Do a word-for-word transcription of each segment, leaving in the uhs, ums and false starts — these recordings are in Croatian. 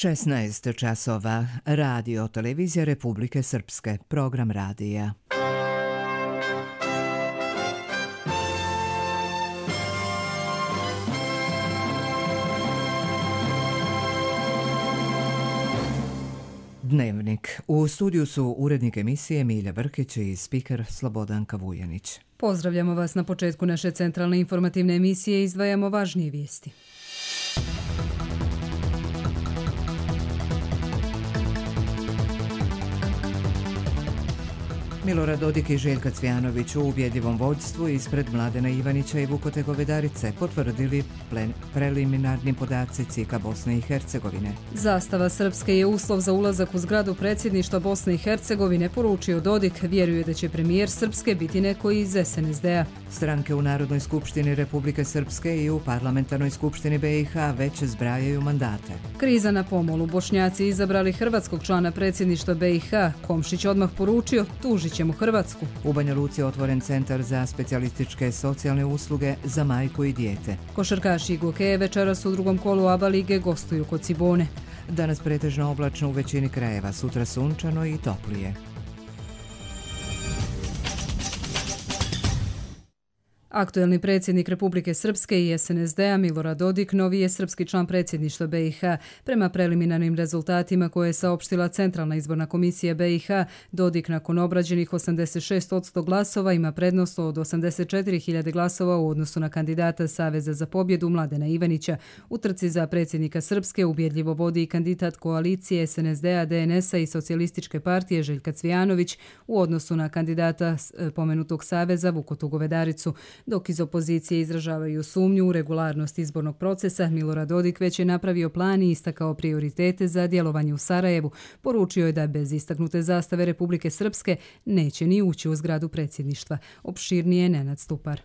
šesnaest časova. Radio televizija Republike Srpske. Program radija. Dnevnik. U studiju su urednik emisije Milja Brkić i spiker Slobodanka Vujanić. Pozdravljamo vas na početku naše centralne informativne emisije i izdvajamo važnije vijesti. Milorad Dodik i Željka Cvijanović u ubjedljivom vođstvu ispred Mladena Ivanića i Vukote Govedarice potvrdili plen, preliminarni podaci C I K-a Bosne i Hercegovine. Zastava Srpske je uslov za ulazak u zgradu predsjedništva Bosne i Hercegovine, poručio Dodik. Vjeruje da će premijer Srpske biti neko iz S N S D-a. Stranke u Narodnoj skupštini Republike Srpske i u Parlamentarnoj skupštini B i H već zbrajaju mandate. Kriza na pomolu. Bošnjaci izabrali hrvatskog člana predsjedništva B i H. Komšić odmah poručio, tužit ćemo Hrvatsku. U Banja Luci je otvoren centar za specijalističke socijalne usluge za majku i dijete. Košarkaši Gokeje večeras u drugom kolu A B A lige gostuju kod Cibone. Danas pretežno oblačno u većini krajeva, sutra sunčano i toplije. Aktuelni predsjednik Republike Srpske i S N S D-a Milorad Dodik novi je srpski član predsjedništva B i H. Prema preliminarnim rezultatima koje je saopštila Centralna izborna komisija B i H, Dodik nakon obrađenih osamdeset šest posto glasova ima prednost od osamdeset četiri hiljade glasova u odnosu na kandidata Saveza za pobjedu Mladena Ivanića. U trci za predsjednika Srpske ubjedljivo vodi i kandidat koalicije S N S D-a, D N S-a i Socijalističke partije Željka Cvijanović u odnosu na kandidata pomenutog Saveza Vukotu Govedaricu. Dok iz opozicije izražavaju sumnju u regularnost izbornog procesa, Milorad Dodik već je napravio plan i istakao prioritete za djelovanje u Sarajevu. Poručio je da bez istaknute zastave Republike Srpske neće ni ući u zgradu predsjedništva. Opširnije Nenad Stupar.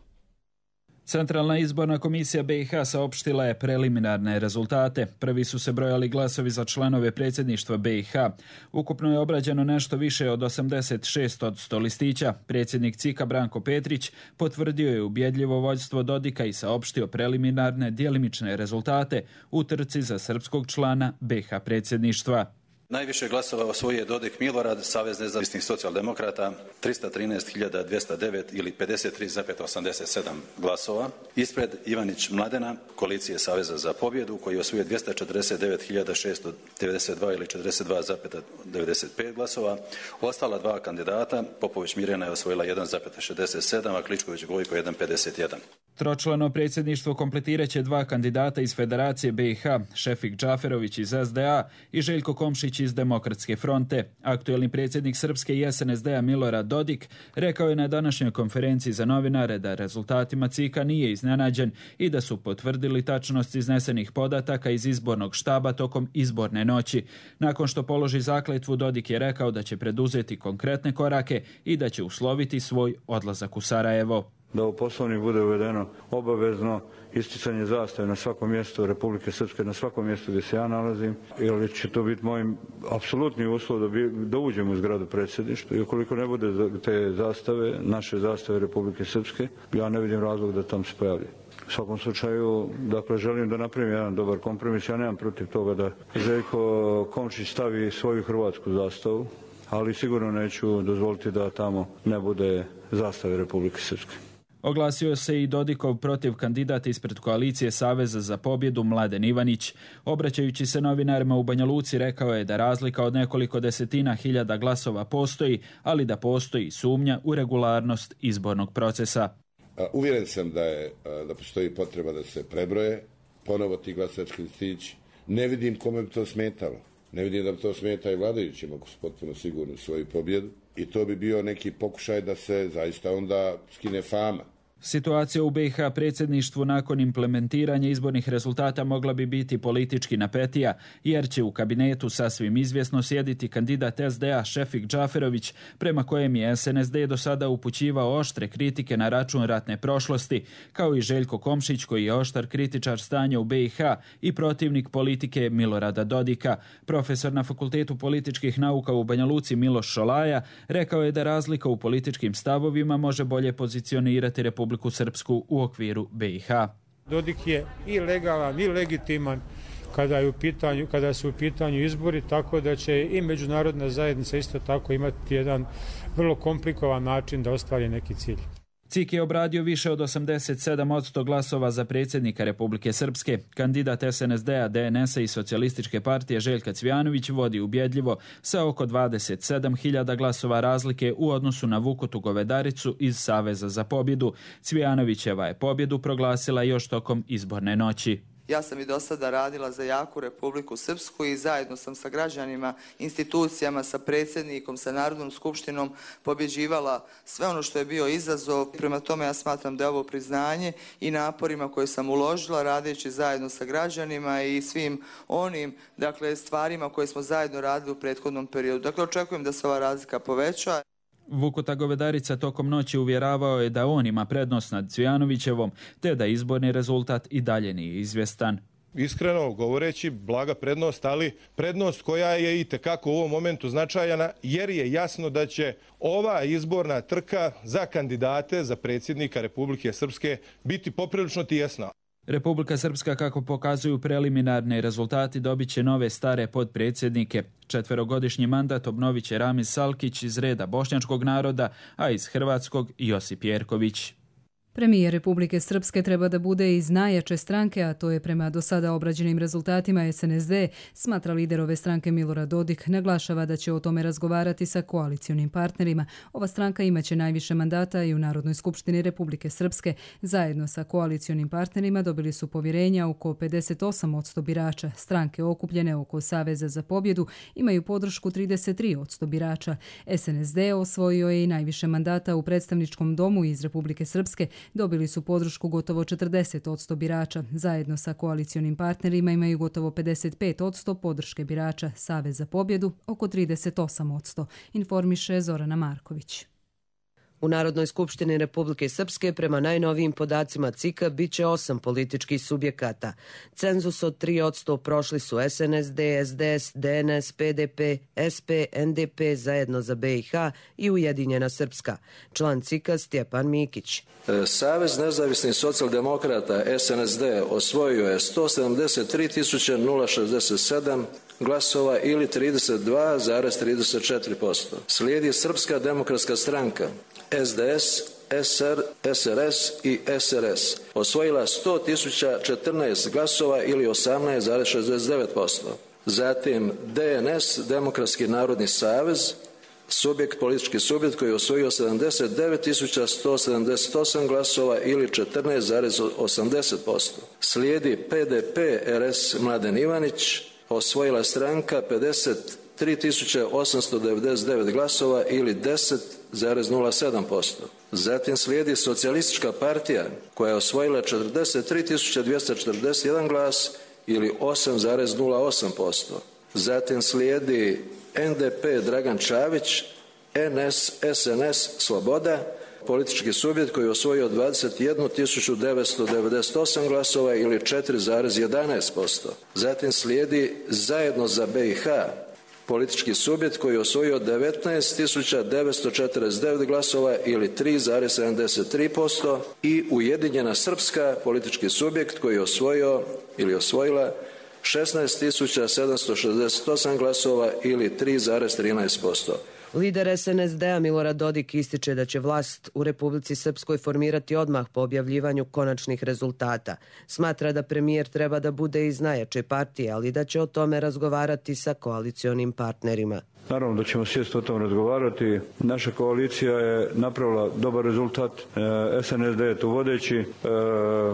Centralna izborna komisija B i H saopštila je preliminarne rezultate. Prvi su se brojali glasovi za članove predsjedništva B i H. Ukupno je obrađeno nešto više od osamdeset šest posto listića. Predsjednik C I K-a Branko Petrić potvrdio je ubjedljivo vođstvo Dodika i saopštio preliminarne djelimične rezultate u trci za srpskog člana B i H predsjedništva. Najviše glasova osvojio je Dodik Milorad, Savez nezavisnih socijaldemokrata, tristo trinaest hiljada dvjesto devet ili pedeset tri zarez osamdeset sedam glasova. Ispred Ivanić Mladena, koalicije Saveza za pobjedu, koji je osvojio dvjesto četrdeset devet hiljada šesto devedeset dva ili četrdeset dva zarez devedeset pet glasova. Ostala dva kandidata, Popović Mirjana je osvojila jedan zarez šezdeset sedam, a Kličković Gojko jedan zarez pedeset jedan. Tročlano predsjedništvo kompletirat će dva kandidata iz Federacije B i H, Šefik Džaferović iz S D A i Željko Komšić iz Demokratske fronte. Aktuelni predsjednik Srpske i S N S D-a Milorad Dodik rekao je na današnjoj konferenciji za novinare da rezultatima C I K-a nije iznenađen i da su potvrdili tačnost iznesenih podataka iz izbornog štaba tokom izborne noći. Nakon što položi zakletvu, Dodik je rekao da će preduzeti konkretne korake i da će usloviti svoj odlazak u Sarajevo. Da u poslovnik bude uvedeno obavezno isticanje zastave na svakom mjestu Republike Srpske, na svakom mjestu gdje se ja nalazim, ili će to biti moj apsolutni uslov da, bi, da uđem u zgradu predsjedništva. I ukoliko ne bude te zastave, naše zastave Republike Srpske, ja ne vidim razlog da tam se pojavlja. U svakom slučaju, dakle, želim da napravim jedan dobar kompromis. Ja nemam protiv toga da Željko Komšić stavi svoju hrvatsku zastavu, ali sigurno neću dozvoliti da tamo ne bude zastave Republike Srpske. Oglasio se i Dodikov protiv kandidata ispred koalicije Saveza za pobjedu Mladen Ivanić. Obraćajući se novinarima u Banja Luci, rekao je da razlika od nekoliko desetina hiljada glasova postoji, ali da postoji sumnja u regularnost izbornog procesa. Uvjeren sam da, je, da postoji potreba da se prebroje ponovo ti glasački listići. Ne vidim kome bi to smetalo. Ne vidim da bi to smeta i vladajućima ako su potpuno sigurni u svoju pobjedu. I to bi bio neki pokušaj da se zaista onda skine fama. Situacija u B i H predsjedništvu nakon implementiranja izbornih rezultata mogla bi biti politički napetija, jer će u kabinetu sasvim izvjesno sjediti kandidat S D A Šefik Džaferović, prema kojem je S N S D do sada upućivao oštre kritike na račun ratne prošlosti, kao i Željko Komšić, koji je oštar kritičar stanja u B i H i protivnik politike Milorada Dodika. Profesor na Fakultetu političkih nauka u Banja Luci Miloš Šolaja rekao je da razlika u političkim stavovima može bolje pozicionirati Republiku Srpsku u okviru B i H. Dodik je i legalan i legitiman kada, je u pitanju, kada su u pitanju izbori, tako da će i međunarodna zajednica isto tako imati jedan vrlo komplikovan način da ostvari neki cilj. C I K je obradio više od osamdeset sedam posto glasova za predsjednika Republike Srpske. Kandidat S N S D-a, D N S-a i Socijalističke partije Željka Cvijanović vodi ubjedljivo sa oko dvadeset sedam hiljada glasova razlike u odnosu na Vukotu Govedaricu iz Saveza za pobjedu. Cvijanovićeva je pobjedu proglasila još tokom izborne noći. Ja sam i do sada radila za jaku Republiku Srpsku i zajedno sam sa građanima, institucijama, sa predsjednikom, sa Narodnom skupštinom pobjeđivala sve ono što je bio izazov. Prema tome ja smatram da je ovo priznanje i naporima koje sam uložila radeći zajedno sa građanima i svim onim dakle, stvarima koje smo zajedno radili u prethodnom periodu. Dakle, očekujem da se ova razlika poveća. Vukuta Govedarica tokom noći uvjeravao je da on ima prednost nad Cvijanovićevom, te da izborni rezultat i dalje nije izvjestan. Iskreno govoreći, blaga prednost, ali prednost koja je i tekako u ovom momentu značajna, jer je jasno da će ova izborna trka za kandidate za predsjednika Republike Srpske biti poprilično tijesna. Republika Srpska, kako pokazuju preliminarni rezultati, dobit će nove stare podpredsjednike. Četverogodišnji mandat obnovit će Ramiz Salkić iz reda bošnjačkog naroda, a iz hrvatskog Josip Jerković. Premijer Republike Srpske treba da bude iz najjače stranke, a to je prema do sada obrađenim rezultatima S N S D, smatra lider ove stranke Milorad Dodik, naglašava da će o tome razgovarati sa koalicionim partnerima. Ova stranka imaće najviše mandata i u Narodnoj skupštini Republike Srpske. Zajedno sa koalicionim partnerima dobili su povjerenja oko pedeset osam posto birača. Stranke okupljene oko Saveza za pobjedu imaju podršku trideset tri posto birača. S N S D osvojio je i najviše mandata u predstavničkom domu iz Republike Srpske. Dobili su podršku gotovo četrdeset posto birača. Zajedno sa koalicionim partnerima imaju gotovo pedeset pet posto podrške birača. Savez za pobjedu oko trideset osam posto, informiše Zorana Marković. U Narodnoj skupštini Republike Srpske prema najnovijim podacima C I K-a bit će osam političkih subjekata. Cenzus od tri posto prošli su S N S D, S D S, D N S, P D P, S P, N D P, Zajedno za B i H i Ujedinjena Srpska. Član C I K-a Stjepan Mikić. Savez nezavisnih socijaldemokrata S N S D osvojio je sto sedamdeset tri tisuće šezdeset sedam glasova ili trideset dva zarez trideset četiri posto. Slijedi Srpska demokratska stranka S D S, S R, S R S i S R S osvojila sto tisuća četrnaest glasova ili osamnaest zarez šezdeset devet posto. Zatim D N S, Demokratski narodni savez, subjekt, politički subjekt koji je osvojio sedamdeset devet tisuća sto sedamdeset osam glasova ili četrnaest zarez osamdeset posto. Slijedi P D P R S Mladen Ivanić, osvojila stranka pedeset tri tisuće osamsto devedeset devet glasova ili deset zarez nula sedam posto. Zatim slijedi Socijalistička partija koja je osvojila četrdeset tri tisuće dvjesto četrdeset jedan glas ili osam zarez nula osam posto. Zatim slijedi N D P Dragan Čavić, N S S N S Sloboda, politički subjekt koji je osvojio dvadeset jednu tisuću devetsto devedeset osam glasova ili četiri zarez jedanaest posto. Zatim slijedi Zajedno za B i H, politički subjekt koji je osvojio devetnaest tisuća devetsto četrdeset devet glasova ili tri zarez sedamdeset tri posto i Ujedinjena Srpska, politički subjekt koji je osvojio ili osvojila šesnaest tisuća sedamsto šezdeset osam glasova ili tri zarez trinaest posto. Lider S N S D-a Milorad Dodik ističe da će vlast u Republici Srpskoj formirati odmah po objavljivanju konačnih rezultata. Smatra da premijer treba da bude iz najjače partije, ali da će o tome razgovarati sa koalicionim partnerima. Naravno da ćemo sjesti o tom razgovarati. Naša koalicija je napravila dobar rezultat. S N S D je tu vodeći.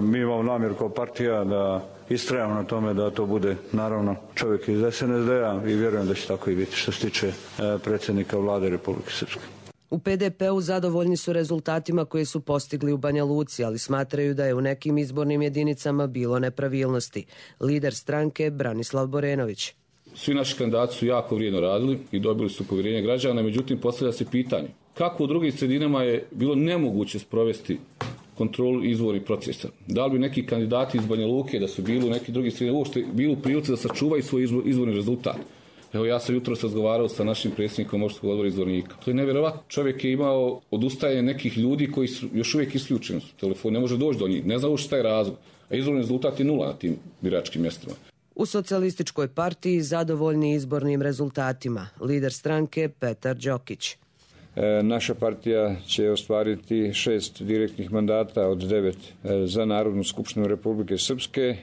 Mi imamo namjer kao partija da istrajamo na tome da to bude naravno čovjek iz S N S D-a i vjerujem da će tako i biti što se tiče predsjednika vlade Republike Srpske. U P D P-u zadovoljni su rezultatima koje su postigli u Banja Luci, ali smatraju da je u nekim izbornim jedinicama bilo nepravilnosti. Lider stranke Branislav Borenović. Svi naši kandidati su jako vrijedno radili i dobili su povjerenje građana, međutim postavlja se pitanje kako u drugim sredinama je bilo nemoguće sprovesti kontrolu izbornih procesa. Da li bi neki kandidati iz Banja Luke da su bili u neki drugi sredine uopšte bili u prilici da sačuvaju svoj izbor, izborni rezultat? Evo ja sam jutros razgovarao sa našim predsjednikom opštinskog odbora izbornika. To je nevjerovatno. Čovjek je imao odustajanje nekih ljudi koji su još uvijek isključeni su telefon, ne može doći do njih, ne zna uopšte šta je razlog. A izborni rezultat je nula na tim biračkim mjestima. U socijalističkoj partiji zadovoljni izbornim rezultatima. Lider stranke Petar Đokić. E, naša partija će ostvariti šest direktnih mandata od devet e, za Narodnu skupštinu Republike Srpske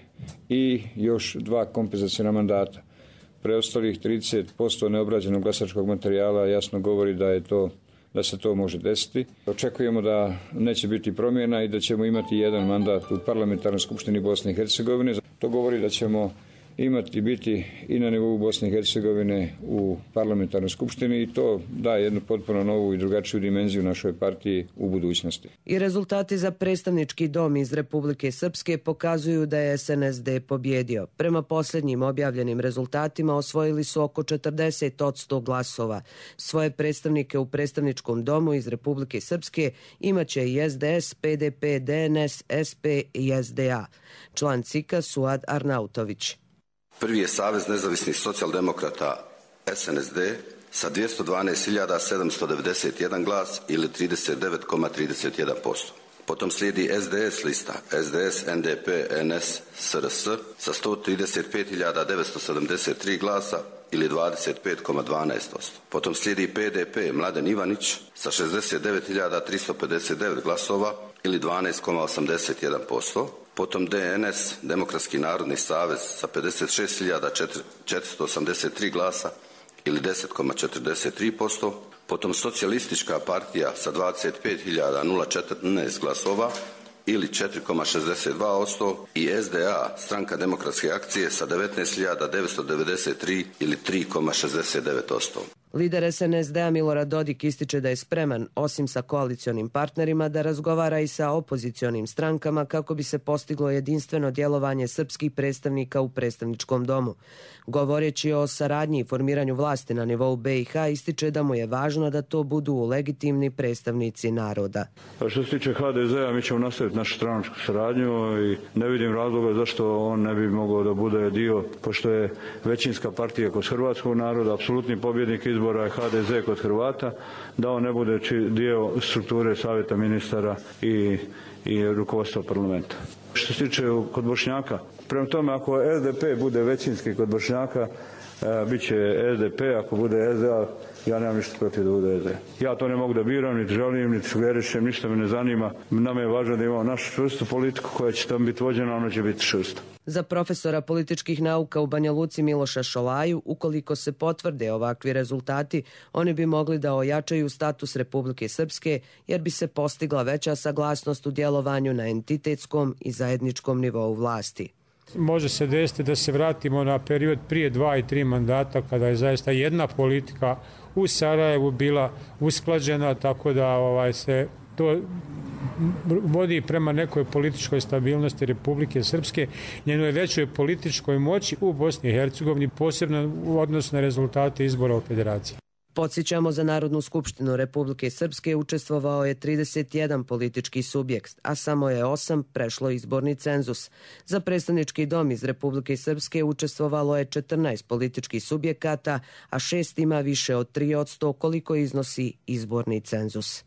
i još dva kompenzacijna mandata. Preostalih trideset posto neobrađenog glasačkog materijala jasno govori da je to da se to može desiti. Očekujemo da neće biti promjena i da ćemo imati jedan mandat u Parlamentarnoj skupštini Bosne i Hercegovine. To govori da ćemo imati biti i na nivou Bosne i Hercegovine u Parlamentarnoj skupštini i to daje jednu potpuno novu i drugačiju dimenziju našoj partiji u budućnosti. I rezultati za predstavnički dom iz Republike Srpske pokazuju da je S N S D pobjedio. Prema posljednjim objavljenim rezultatima osvojili su oko četrdeset posto glasova. Svoje predstavnike u predstavničkom domu iz Republike Srpske imaće i S D S, P D P, D N S, S P i S D A. Član C I K-a Suad Arnautović. Prvi je Savez nezavisnih socijaldemokrata S N S D sa dvjesto dvanaest hiljada sedamsto devedeset jedan glas ili trideset devet zarez trideset jedan posto. Potom slijedi S D S lista S D S, N D P, N S, S R S sa sto trideset pet hiljada devetsto sedamdeset tri glasa ili dvadeset pet zarez dvanaest posto. Potom slijedi P D P Mladen Ivanić sa šezdeset devet hiljada tristo pedeset devet glasova ili dvanaest zarez osamdeset jedan posto. Potom D N S, Demokratski narodni savez sa pedeset šest hiljada četiristo osamdeset tri glasa ili deset zarez četrdeset tri posto. Potom Socijalistička partija sa dvadeset pet hiljada četrnaest glasova ili četiri zarez šezdeset dva posto i S D A, Stranka demokratske akcije sa devetnaest hiljada devetsto devedeset tri ili tri zarez šezdeset devet posto. Lider S N S D-a Milorad Dodik ističe da je spreman, osim sa koalicionim partnerima, da razgovara i sa opozicionim strankama kako bi se postiglo jedinstveno djelovanje srpskih predstavnika u predstavničkom domu. Govoreći o saradnji i formiranju vlasti na nivou B i H, ističe da mu je važno da to budu legitimni predstavnici naroda. A što se tiče H D Z-a, mi ćemo nastaviti našu stranačku saradnju i ne vidim razloga zašto on ne bi mogao da bude dio, pošto je većinska partija kod hrvatskog naroda, apsolutni pobjednik izbora je H D Z kod Hrvata, da on ne bude dio strukture savjeta ministara i, i rukovodstva parlamenta. Što se tiče kod Bošnjaka, prema tome ako S D P bude većinski kod Bošnjaka, e, bit će S D P, ako bude S D A, ja nemam ništa protiv da bude S D A. Ja to ne mogu da biram, niti želim, niti sugerišem, ništa me ne zanima. Nama je važno da imamo našu čvrstu politiku koja će tam biti vođena, ona će biti čvrsta. Za profesora političkih nauka u Banja Luci Miloša Šolaju, ukoliko se potvrde ovakvi rezultati, oni bi mogli da ojačaju status Republike Srpske, jer bi se postigla veća saglasnost u djelovanju na entitetskom i zajedničkom nivou vlasti. Može se desiti da se vratimo na period prije dva i tri mandata, kada je zaista jedna politika u Sarajevu bila usklađena, tako da ovaj, se to vodi prema nekoj političkoj stabilnosti Republike Srpske, njenoj većoj političkoj moći u Bosni i Hercegovini, posebno u odnosu na rezultate izbora u Federaciji. Podsjećamo, za Narodnu skupštinu Republike Srpske učestvovao je trideset jedan politički subjekt, a samo je osam prešlo izborni cenzus. Za predstavnički dom iz Republike Srpske učestvovalo je četrnaest političkih subjekata, a šest ima više od tri posto koliko iznosi izborni cenzus.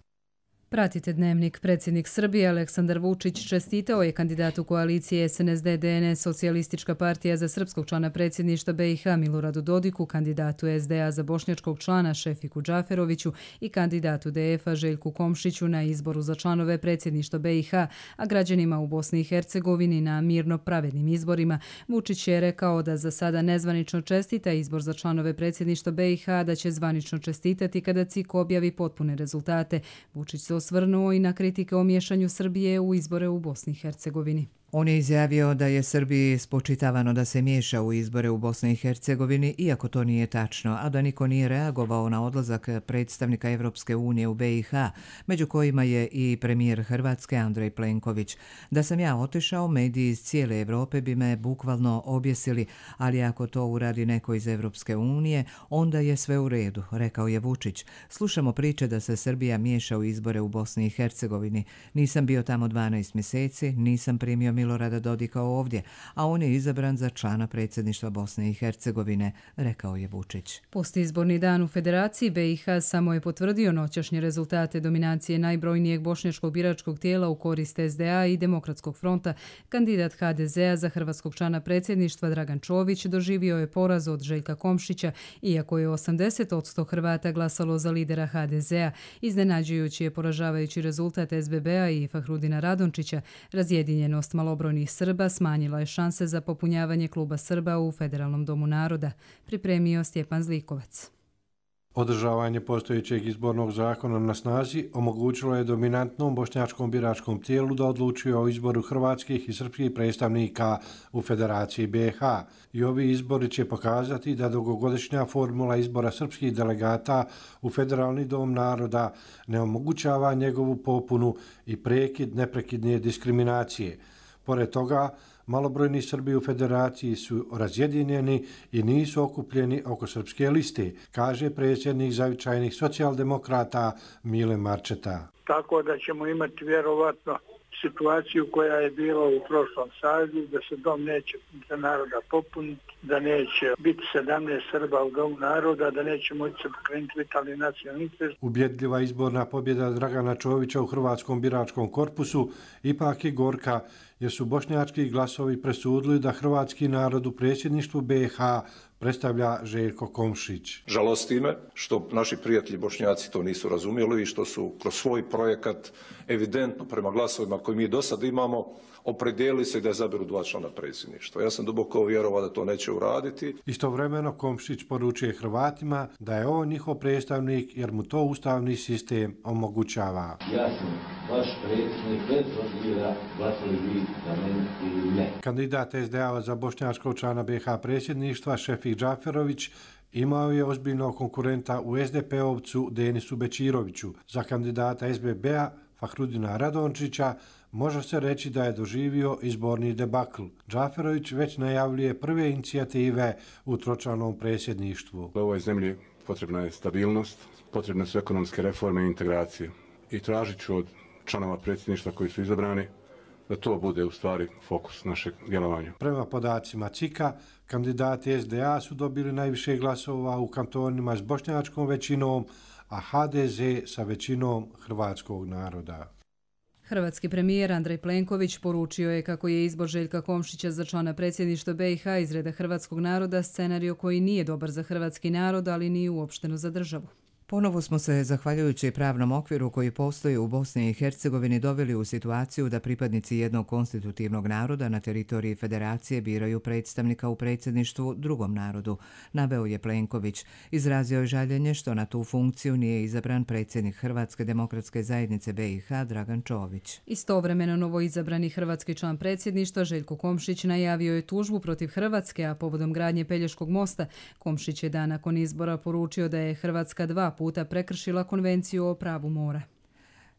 Pratite Dnevnik. Predsjednik Srbije Aleksandar Vučić čestitao je kandidatu koalicije S N S D D N S Socijalistička partija za srpskog člana predsjedništva B i H Miloradu Dodiku, kandidatu S D A za bošnjačkog člana Šefiku Džaferoviću i kandidatu D F-a Željku Komšiću na izboru za članove predsjedništva B i H, a građanima u Bosni i Hercegovini na mirno pravednim izborima. Vučić je rekao da za sada nezvanično čestita izbor za članove predsjedništva B i H, da će zvanično čestitati kada C I K objavi potpune rezultate. Vučić se osvrnuo i na kritike o miješanju Srbije u izbore u Bosni i Hercegovini. On je izjavio da je Srbiji spočitavano da se miješa u izbore u Bosni i Hercegovini, iako to nije tačno, a da niko nije reagovao na odlazak predstavnika Evropske unije u B i H, među kojima je i premijer Hrvatske Andrej Plenković. Da sam ja otišao, mediji iz cijele Evrope bi me bukvalno objesili, ali ako to uradi neko iz Evropske unije, onda je sve u redu, rekao je Vučić. Slušamo priče da se Srbija miješa u izbore u Bosni i Hercegovini. Nisam bio tamo dvanaest mjeseci, nisam primio Milorada Dodika ovdje, a on je izabran za člana predsjedništva Bosne i Hercegovine, rekao je Vučić. Postizborni dan u Federaciji B i H samo je potvrdio noćašnje rezultate dominacije najbrojnijeg bošnjačkog biračkog tijela u korist S D A i Demokratskog fronta. Kandidat H D Z-a za hrvatskog člana predsjedništva Dragan Čović doživio je poraz od Željka Komšića, iako je osamdeset posto Hrvata glasalo za lidera H D Z-a. Iznenađujući je poražavajući rezultat S B B-a i Fahrudina Radončića. Razjedinjenost malobrojnih Srba smanjila je šanse za popunjavanje kluba Srba u Federalnom domu naroda, pripremio Stjepan Zlikovac. Održavanje postojećeg izbornog zakona na snazi omogućilo je dominantnom bošnjačkom biračkom tijelu da odlučuje o izboru hrvatskih i srpskih predstavnika u Federaciji B i H. I ovi izbori će pokazati da dugogodišnja formula izbora srpskih delegata u Federalni dom naroda ne omogućava njegovu popunu i prekid neprekidne diskriminacije. Pored toga, malobrojni Srbi u Federaciji su razjedinjeni i nisu okupljeni oko srpske liste, kaže predsjednik zavičajnih socijaldemokrata Mile Marčeta. Tako da ćemo imati vjerovatno situaciju koja je bila u prošlom sazivu, da se dom neće za naroda popuniti, da neće biti sedamnaest Srba u domu naroda, da neće moći se pokrenuti vitalni nacionalni interes. Ubjedljiva izborna pobjeda Dragana Čovića u hrvatskom biračkom korpusu ipak je gorka, jer su bošnjački glasovi presudili da hrvatski narod u predsjedništvu B i H predstavlja Željko Komšić. Žalosti me što naši prijatelji Bošnjaci to nisu razumjeli i što su kroz svoj projekat evidentno prema glasovima koji mi do sada imamo opredijelili se da izaberu dva člana predsjedništva. Ja sam duboko vjerovao da to neće uraditi. Istovremeno Komšić poručuje Hrvatima da je on njihov predstavnik jer mu to ustavni sistem omogućava. Ja sam vaš predsjednik bez obzira glasali vi za mene ili ne. Kandidat S D A za bošnjačkog člana B i H predsjedništva Šefik Džaferović imao je ozbiljnog konkurenta u S D P-ovcu Denisu Bečiroviću. Za kandidata S B B-a Fahrudina Radončića može se reći da je doživio izborni debakl. Džaferović već najavljuje prve inicijative u tročlanom predsjedništvu. U ovoj zemlji potrebna je stabilnost, potrebne su ekonomske reforme i integracije. I tražit ću od članova predsjedništva koji su izabrani da to bude u stvari fokus našeg djelovanja. Prema podacima C I K-a, kandidati S D A su dobili najviše glasova u kantonima s bošnjačkom većinom, a H D Z sa većinom hrvatskog naroda. Hrvatski premijer Andrej Plenković poručio je kako je izbor Željka Komšića za člana predsjedništva B i H iz reda hrvatskog naroda scenario koji nije dobar za hrvatski narod, ali ni uopšteno za državu. Ponovo smo se, zahvaljujući pravnom okviru koji postoji u Bosni i Hercegovini, doveli u situaciju da pripadnici jednog konstitutivnog naroda na teritoriji Federacije biraju predstavnika u predsjedništvu drugom narodu, naveo je Plenković. Izrazio je žaljenje što na tu funkciju nije izabran predsjednik Hrvatske demokratske zajednice B i H Dragan Čović. Istovremeno novoizabrani hrvatski član predsjedništva Željko Komšić najavio je tužbu protiv Hrvatske, a povodom gradnje Pelješkog mosta Komšić je dan nakon izbora poručio da je Hrvatska dva puta prekršila konvenciju o pravu mora.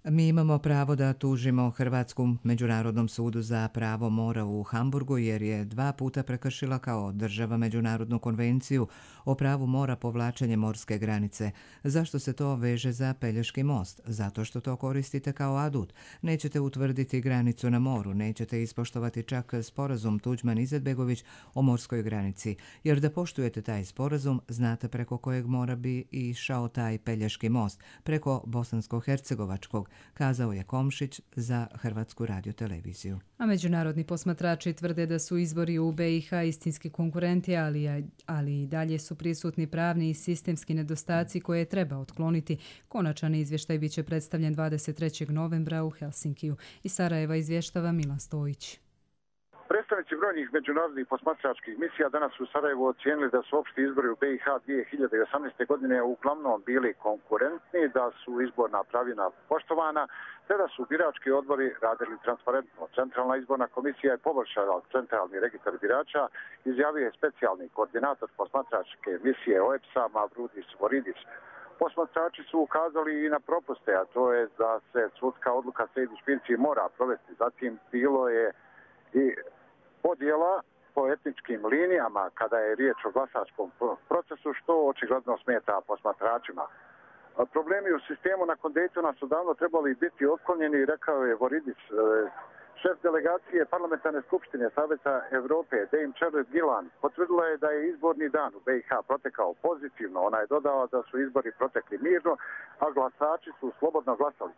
Mi imamo pravo da tužimo Hrvatsku Međunarodnom sudu za pravo mora u Hamburgu jer je dva puta prekršila kao država Međunarodnu konvenciju o pravu mora povlačenje morske granice. Zašto se to veže za Pelješki most? Zato što to koristite kao adut. Nećete utvrditi granicu na moru, nećete ispoštovati čak sporazum Tuđman-Izetbegović o morskoj granici, jer da poštujete taj sporazum, znate preko kojeg mora bi išao taj Pelješki most, preko Bosansko-Hercegovačkog, kazao je Komšić za Hrvatsku radioteleviziju. A međunarodni posmatrači tvrde da su izbori u B i H istinski konkurenti, ali, ali i dalje su prisutni pravni i sistemski nedostaci koje treba otkloniti. Konačan izvještaj bit će predstavljen dvadeset trećeg novembra u Helsinkiju. Iz Sarajeva izvještava Milan Stojić. Predstavnici brojnih međunarodnih posmatračkih misija danas u Sarajevu ocijenili da su opšti izbori u B i H dvije hiljade osamnaeste. godine uglavnom bili konkurentni, da su izborna pravila poštovana, te da su birački odbori radili transparentno. Centralna izborna komisija je poboljšala centralni registar birača, izjavio je specijalni koordinator posmatračke misije O E P S-a Mavrudis Voridis. Posmatrači su ukazali i na propuste, a to je da se sudska odluka Sejdić-Finci mora provesti. Zatim bilo je i podjela po etničkim linijama kada je riječ o glasačkom procesu, što očigledno smeta posmatračima. Problemi u sistemu nakon Daytona su davno trebali biti otklonjeni, rekao je Voridis. Šef delegacije Parlamentarne skupštine Saveza Evrope, Dame Charles Gillan, potvrdila je da je izborni dan u B i H protekao pozitivno. Ona je dodala da su izbori protekli mirno, a glasači su slobodno glasali.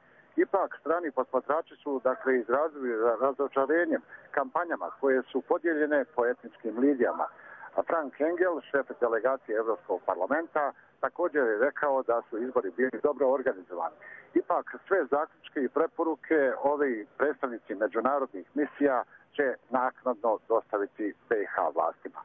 Ipak, strani posmatrači su dakle izrazili razočarenjem kampanjama koje su podijeljene po etničkim linijama. A Frank Engel, šef delegacije Evropskog parlamenta, također je rekao da su izbori bili dobro organizovani. Ipak, sve zaključke i preporuke ovi predstavnici međunarodnih misija će naknadno dostaviti B i H vlastima.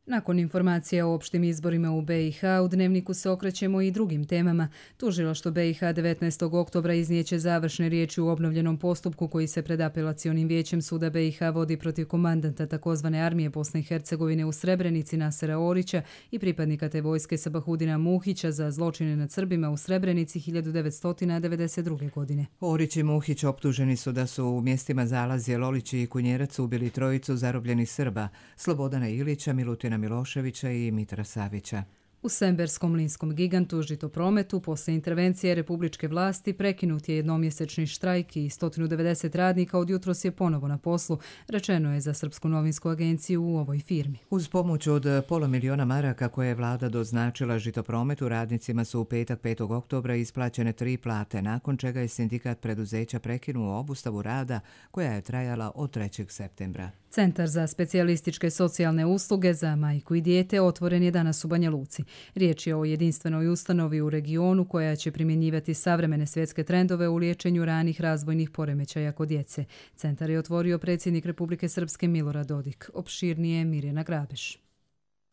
Nakon informacija o opštim izborima u B i H, u Dnevniku se okrećemo i drugim temama. Tužilaštvo B i H devetnaestog oktobra iznijeće završne riječi u obnovljenom postupku koji se pred apelacionim vijećem suda B i H vodi protiv komandanta takozvane armije Bosne i Hercegovine u Srebrenici Nasera Orića i pripadnika te vojske Sabahudina Muhića za zločine nad Srbima u Srebrenici hiljadu devetsto devedeset druge. godine. Orić i Muhić optuženi su da su u mjestima Zalazje, Lolići i Kunjerac ubili trojicu zarobljenih Srba, Slobodana Ilića, Milutina Miloševića i Mitra Savića. U Semberskom linskom gigantu Žitoprometu posle intervencije republičke vlasti prekinut je jednomjesečni štrajk i sto devedeset radnika od jutros je ponovo na poslu, rečeno je za Srpsku novinsku agenciju u ovoj firmi. Uz pomoć od pola miliona maraka koje je vlada doznačila Žitoprometu, radnicima su u petak petog oktobra isplaćene tri plate, nakon čega je sindikat preduzeća prekinuo obustavu rada koja je trajala od trećeg septembra. Centar za specijalističke socijalne usluge za majku i dijete otvoren je danas u Banja Luci. Riječ je o jedinstvenoj ustanovi u regionu koja će primjenjivati savremene svjetske trendove u liječenju ranih razvojnih poremećaja kod djece. Centar je otvorio predsjednik Republike Srpske Milorad Dodik. Opširnije Mirjana Grabeš.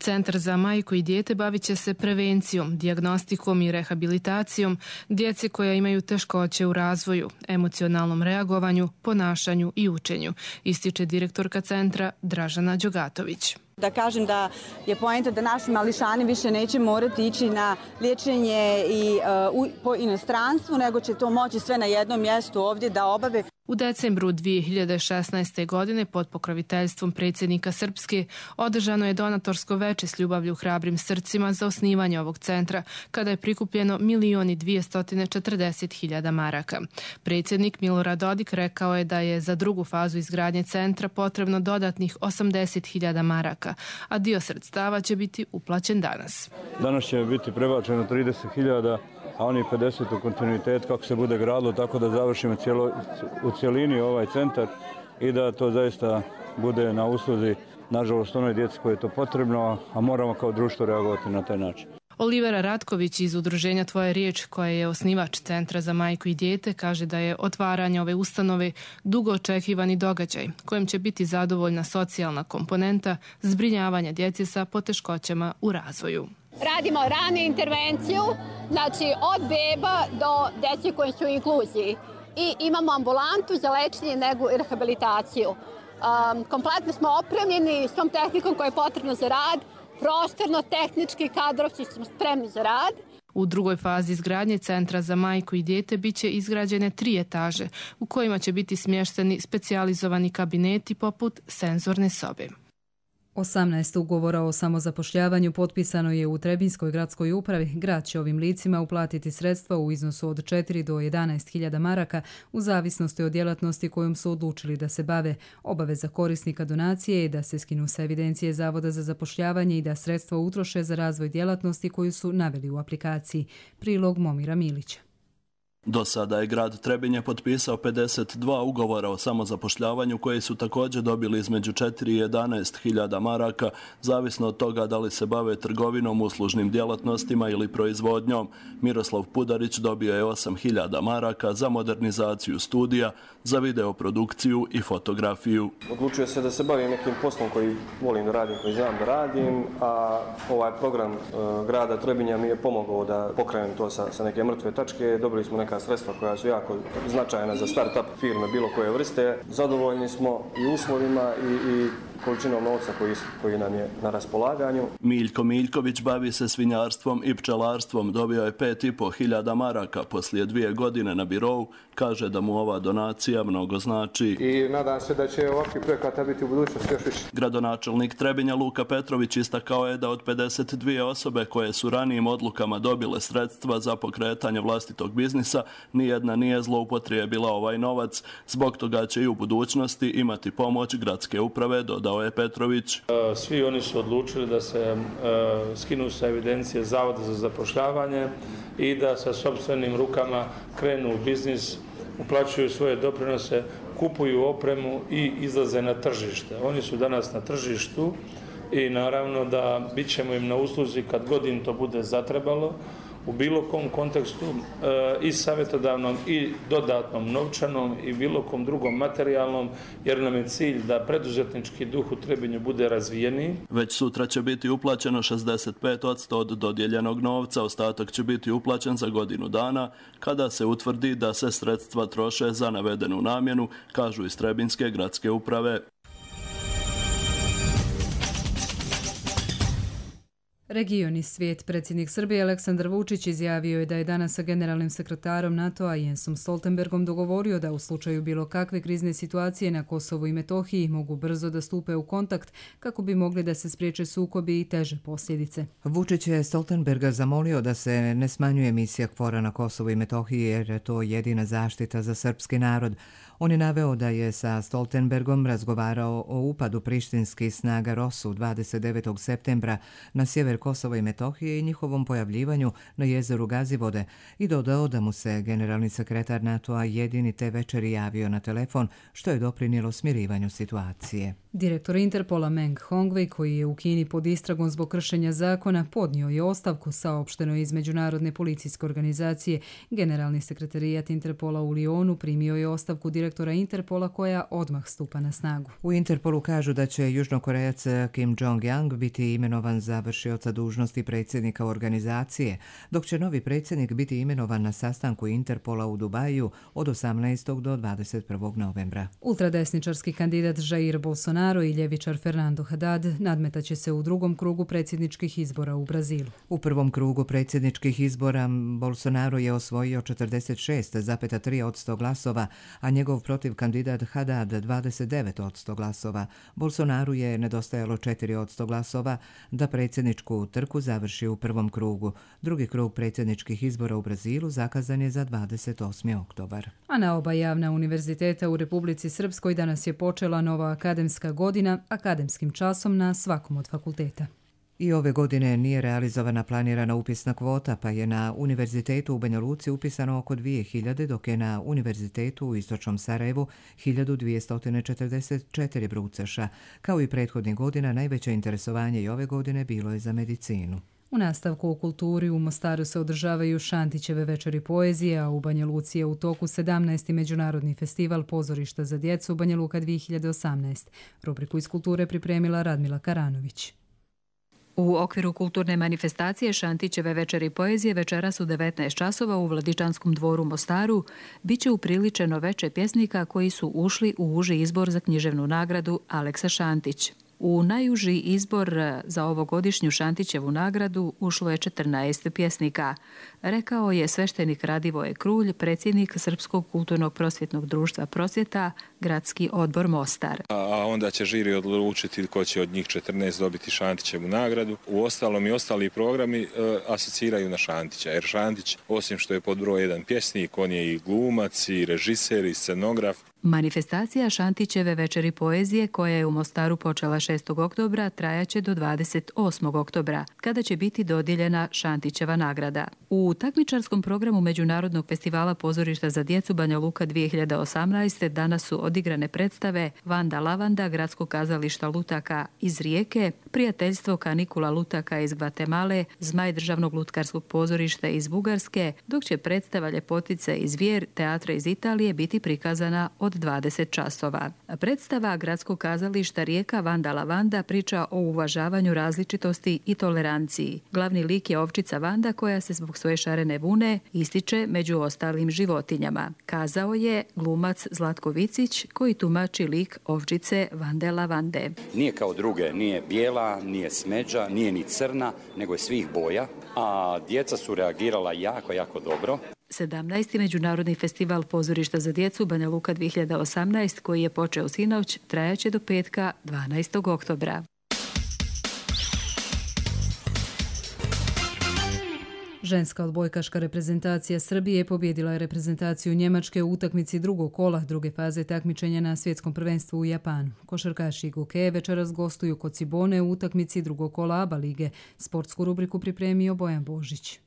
Centar za majku i dijete bavit će se prevencijom, dijagnostikom i rehabilitacijom djece koja imaju teškoće u razvoju, emocionalnom reagovanju, ponašanju i učenju, ističe direktorka centra Dražana Đogatović. Da kažem da je poenta da naši mališani više neće morati ići na liječenje i uh, u, po inostranstvu, nego će to moći sve na jednom mjestu ovdje da obave. U decembru dvije hiljade šesnaeste. godine pod pokroviteljstvom predsjednika Srpske održano je donatorsko veče s ljubavlju hrabrim srcima za osnivanje ovog centra, kada je prikupljeno milion i dvjesto četrdeset hiljada maraka. Predsjednik Milorad Dodik rekao je da je za drugu fazu izgradnje centra potrebno dodatnih osamdeset hiljada maraka, a dio sredstava će biti uplaćen danas. Danas će biti prebačeno trideset hiljada, a oni pedeset u kontinuitet kako se bude gradilo, tako da završimo cijelo, u cijelini ovaj centar i da to zaista bude na usluzi, nažalost, onoj djeci koje je to potrebno, a moramo kao društvo reagovati na taj način. Olivera Ratković iz udruženja Tvoja riječ, koja je osnivač Centra za majku i dijete, kaže da je otvaranje ove ustanove dugo očekivani događaj kojem će biti zadovoljna socijalna komponenta zbrinjavanja djece sa poteškoćama u razvoju. Radimo ranu intervenciju, znači od beba do djece koji su u inkluziji. I imamo ambulantu za lečenje, negu i rehabilitaciju. Um, kompletno smo opremljeni s tom tehnikom koja je potrebna za rad, prostorno, tehnički, kadrovci smo spremni za rad. U drugoj fazi izgradnje Centra za majku i dijete biće izgrađene tri etaže u kojima će biti smješteni specijalizovani kabineti poput senzorne sobe. osamnaest ugovora o samozapošljavanju potpisano je u Trebinjskoj gradskoj upravi. Grad će ovim licima uplatiti sredstva u iznosu od četiri do jedanaest hiljada maraka u zavisnosti od djelatnosti kojom su odlučili da se bave. Obaveza korisnika donacije je da se skinu sa evidencije Zavoda za zapošljavanje i da sredstva utroše za razvoj djelatnosti koju su naveli u aplikaciji. Prilog Momira Milića. Do sada je grad Trebinje potpisao pedeset dva ugovora o samozapošljavanju koji su također dobili između četiri i jedanaest hiljada maraka, zavisno od toga da li se bave trgovinom, uslužnim djelatnostima ili proizvodnjom. Miroslav Pudarić dobio je osam hiljada maraka za modernizaciju studija, za videoprodukciju i fotografiju. Odlučio se da se bavim nekim poslom koji volim da radim, koji znam da radim, a ovaj program e, grada Trebinja mi je pomogao da pokrenem to sa, sa neke mrtve tačke. Dobili smo neka sredstva koja su jako značajna za start-up firme bilo koje vrste. Zadovoljni smo i uslovima i, i količinom novca koji, koji nam je na raspolaganju. Miljko Miljković bavi se svinjarstvom i pčelarstvom. Dobio je pet i po hiljada maraka poslije dvije godine na birou. Kaže da mu ova donacija mnogo znači. I nadam se da će ovakvi projekata biti u budućnosti još više. Gradonačelnik Trebinja Luka Petrović istakao je da od pedeset dvije osobe koje su ranijim odlukama dobile sredstva za pokretanje vlastitog biznisa, nijedna nije zloupotrijebila ovaj novac. Zbog toga će i u budućnosti imati pomoć gradske uprave, dodao je Petrović. Svi oni su odlučili da se skinu sa evidencije Zavoda za zapošljavanje i da sa sopstvenim rukama krenu u biznis, uplaćuju svoje doprinose, kupuju opremu i izlaze na tržište. Oni su danas na tržištu i naravno da bit ćemo im na usluzi kad god im to bude zatrebalo, u bilo kom kontekstu i savjetodavnom i dodatnom novčanom i bilo kom drugom materijalnom, jer nam je cilj da preduzetnički duh u Trebinju bude razvijeniji. Već sutra će biti uplaćeno šezdeset pet posto od dodijeljenog novca, ostatak će biti uplaćen za godinu dana, kada se utvrdi da se sredstva troše za navedenu namjenu, kažu iz Trebinjske gradske uprave. Region i svijet. Predsjednik Srbije Aleksandar Vučić izjavio je da je danas sa generalnim sekretarom NATO-a Jensom Stoltenbergom dogovorio da u slučaju bilo kakve krizne situacije na Kosovu i Metohiji mogu brzo da stupe u kontakt kako bi mogli da se spriječe sukobi i teže posljedice. Vučić je Stoltenberga zamolio da se ne smanjuje misija KFOR-a na Kosovu i Metohiji jer je to jedina zaštita za srpski narod. On je naveo da je sa Stoltenbergom razgovarao o upadu prištinskih snaga Rosu dvadeset devetog septembra na sjever Kosova i Metohije i njihovom pojavljivanju na jezeru Gazivode i dodao da mu se generalni sekretar NATO-a jedini te večeri javio na telefon, što je doprinijelo smirivanju situacije. Direktor Interpola Meng Hongwei, koji je u Kini pod istragom zbog kršenja zakona, podnio je ostavku, saopšteno iz Međunarodne policijske organizacije. Generalni sekretarijat Interpola u Lionu primio je ostavku direktora Interpola koja odmah stupa na snagu. U Interpolu kažu da će južnokorejac Kim Jong-yang biti imenovan za vršioca dužnosti predsjednika organizacije, dok će novi predsjednik biti imenovan na sastanku Interpola u Dubaju od osamnaestog do dvadeset prvog novembra. Ultradesničarski kandidat Jair Bolsonaro i ljevičar Fernando Haddad nadmetaće se u drugom krugu predsjedničkih izbora u Brazilu. U prvom krugu predsjedničkih izbora Bolsonaro je osvojio četrdeset šest zarez tri posto glasova, a njegov protiv kandidat Haddad dvadeset devet posto glasova. Bolsonaru je nedostajalo četiri posto glasova da predsjedničku trku završi u prvom krugu. Drugi krug predsjedničkih izbora u Brazilu zakazan je za dvadeset osmi oktobar. A na oba javna univerziteta u Republici Srpskoj danas je počela nova akademska godina akademskim časom na svakom od fakulteta. I ove godine nije realizovana planirana upisna kvota, pa je na Univerzitetu u Banja Luci upisano oko dvije hiljade, dok je na Univerzitetu u Istočnom Sarajevu hiljadu dvjesto četrdeset četiri brucaša. Kao i prethodnih godina, najveće interesovanje i ove godine bilo je za medicinu. U nastavku u kulturi u Mostaru se održavaju Šantićeve večeri poezije, a u Banja Luci je u toku sedamnaesti međunarodni festival pozorišta za djecu Banja Luka dvije hiljade osamnaest. Rubriku iz kulture pripremila Radmila Karanović. U okviru kulturne manifestacije Šantićeve večeri poezije večeras u devetnaest časova u Vladičanskom dvoru Mostaru biće upriličeno veče pjesnika koji su ušli u uži izbor za književnu nagradu Aleksa Šantić. U najuži izbor za ovogodišnju Šantićevu nagradu ušlo je četrnaest pjesnika, rekao je sveštenik Radivoje Krulj, predsjednik Srpskog kulturnog prosvjetnog društva Prosvjeta, gradski odbor Mostar. A onda će žiri odlučiti ko će od njih četrnaest dobiti Šantićevu nagradu. U ostalom i ostali programi e, asociraju na Šantića, jer Šantić, osim što je pod broj jedan pjesnik, on je i glumac, i režiser, i scenograf. Manifestacija Šantićeve večeri poezije, koja je u Mostaru počela šestog oktobra, trajaće do dvadeset osmog oktobra, kada će biti dodijeljena Šantićeva nagrada. U takmičarskom programu Međunarodnog festivala pozorišta za djecu Banja Luka dvije hiljade osamnaest. danas su odigrane predstave Vanda Lavanda, Gradskog kazališta Lutaka iz Rijeke, Prijateljstvo kanikula Lutaka iz Gvatemale, Zmaj državnog lutkarskog pozorišta iz Bugarske, dok će predstava Ljepotice i zvijer teatra iz Italije biti prikazana od od dvadeset časova. Predstava Gradskog kazališta Rijeka Vanda Lavanda priča o uvažavanju različitosti i toleranciji. Glavni lik je ovčica Vanda koja se zbog svoje šarene vune ističe među ostalim životinjama. Kazao je glumac Zlatko Vicić koji tumači lik ovčice Vande Lavande. Nije kao druge, nije bijela, nije smeđa, nije ni crna, nego je svih boja, a djeca su reagirala jako, jako dobro. sedamnaesti. Međunarodni festival pozorišta za djecu Banja Luka dvije hiljade osamnaest koji je počeo sinoć trajaće do petka dvanaestog oktobra. Ženska odbojkaška reprezentacija Srbije pobjedila je reprezentaciju Njemačke u utakmici drugog kola druge faze takmičenja na svjetskom prvenstvu u Japanu. Košarkaši Goke večeras gostuju kod Cibone u utakmici drugog kola A B A lige. Sportsku rubriku pripremio Bojan Božić.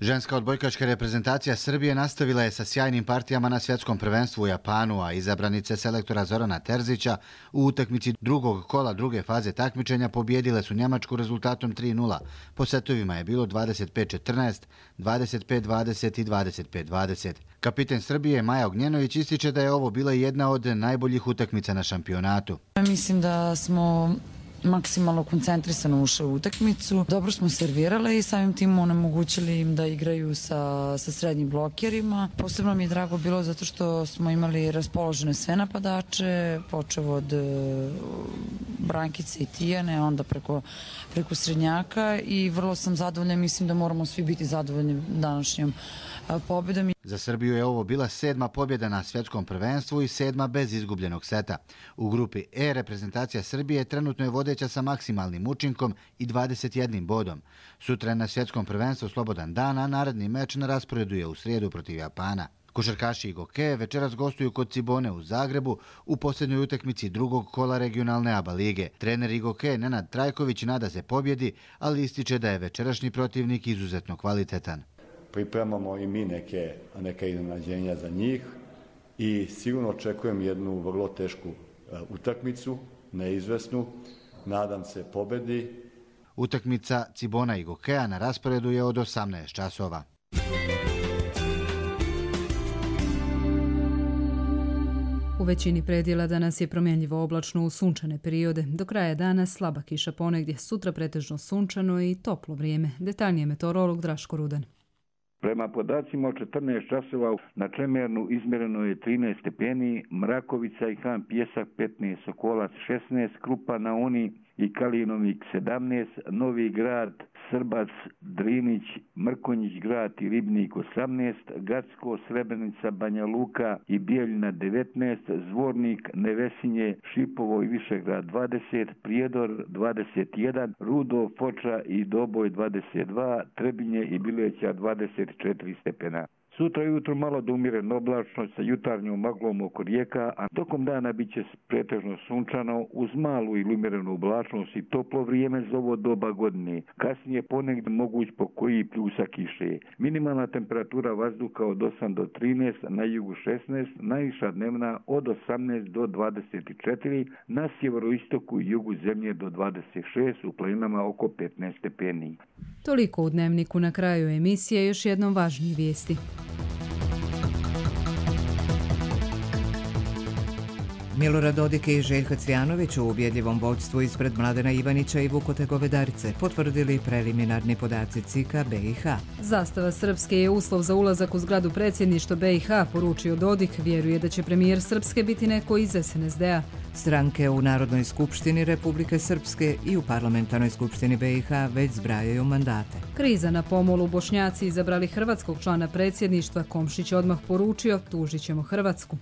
Ženska odbojkaška reprezentacija Srbije nastavila je sa sjajnim partijama na svjetskom prvenstvu u Japanu, a izabranice selektora Zorana Terzića u utakmici drugog kola druge faze takmičenja pobjedile su Njemačku rezultatom tri nula. Po setovima je bilo dvadeset pet četrnaest, dvadeset pet dvadeset i dvadeset pet dvadeset. Kapiten Srbije Maja Ognjenović ističe da je ovo bila jedna od najboljih utakmica na šampionatu. Mislim da smo maksimalno koncentrisano ušli u utakmicu. Dobro smo servirale i samim tim onemogućili im da igraju sa, sa srednjim blokerima. Posebno mi je drago bilo zato što smo imali raspoložene sve napadače, počeo od uh, Brankice i Tijane, onda preko, preko srednjaka i vrlo sam zadovoljna. Mislim da moramo svi biti zadovoljni današnjom uh, pobjedom. Za Srbiju je ovo bila sedma pobjeda na svjetskom prvenstvu i sedma bez izgubljenog seta. U grupi E reprezentacija Srbije trenutno je vodeća sa maksimalnim učinkom i dvadeset jednim bodom. Sutra je na svjetskom prvenstvu slobodan dan, a naredni meč na rasporedu je u srijedu protiv Japana. Košarkaši Goke večeras gostuju kod Cibone u Zagrebu u posljednjoj utakmici drugog kola regionalne A B A lige. Trener Goke Nenad Trajković nada se pobjedi, ali ističe da je večerašnji protivnik izuzetno kvalitetan. Pripremamo i mi neke, neke iznenađenja za njih i sigurno očekujem jednu vrlo tešku utakmicu, neizvesnu. Nadam se pobedi. Utakmica Cibona i Gokea na rasporedu je od osamnaest časova. U većini predjela danas je promjenljivo oblačno u sunčane periode. Do kraja dana slaba kiša ponegdje, sutra pretežno sunčano i toplo vrijeme. Detaljnije meteorolog Draško Rudan. Prema podacima od četrnaest časova na Čemernu izmjereno je trinaest stepeni, Mrakovica i Han Pjesak petnaest, Sokolac šesnaest, Krupa na Uni i Kalinovik sedamnaest, Novi Grad, Srbac, Drinić, Mrkonjić Grad i Ribnik osamnaest, Gacko, Srebrenica, Banja Luka i Bijeljina devetnaest, Zvornik, Nevesinje, Šipovo i Višegrad dvadeset, Prijedor dvadeset jedan, Rudo, Foča i Doboj dvadeset dva, Trebinje i Bileća dvadeset četiri stepena. Sutra jutro malo do umjereno oblačno sa jutarnjom maglom oko rijeka, a tokom dana bit će pretežno sunčano uz malu ili umjerenu oblačnost i toplo vrijeme za ovo doba godine. Kasnije ponegdje moguć po koji pljusak kiše. Minimalna temperatura vazduha od osam do trinaest, na jugu šesnaest, najviša dnevna od osamnaest do dvadeset četiri, na sjeveroistoku i jugu zemlje do dvadeset šest, u planinama oko petnaest stepeni. Toliko u Dnevniku. Na kraju emisije još jednom važnije vijesti. Milorad Dodik i Željko Cvjanović u ubjedljivom vodstvu ispred Mladena Ivanića i Vukote Govedarice potvrdili preliminarni podaci C I K A B I H. Zastava Srpske je uslov za ulazak u zgradu predsjedništva B i H, poručio Dodik. Vjeruje da će premijer Srpske biti neko iz S N S D-a. Stranke u Narodnoj skupštini Republike Srpske i u Parlamentarnoj skupštini B i H već zbrajaju mandate. Kriza na pomolu. Bošnjaci izabrali hrvatskog člana predsjedništva. Komšić odmah poručio, tužit ćemo Hrvatsku.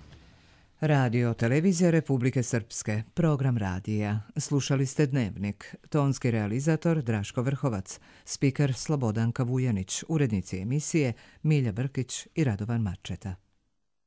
Radio Televizija Republike Srpske, program radija. Slušali ste Dnevnik. Tonski realizator Draško Vrhovac, spiker Slobodanka Vujanić, urednici emisije Milja Brkić i Radovan Marčeta.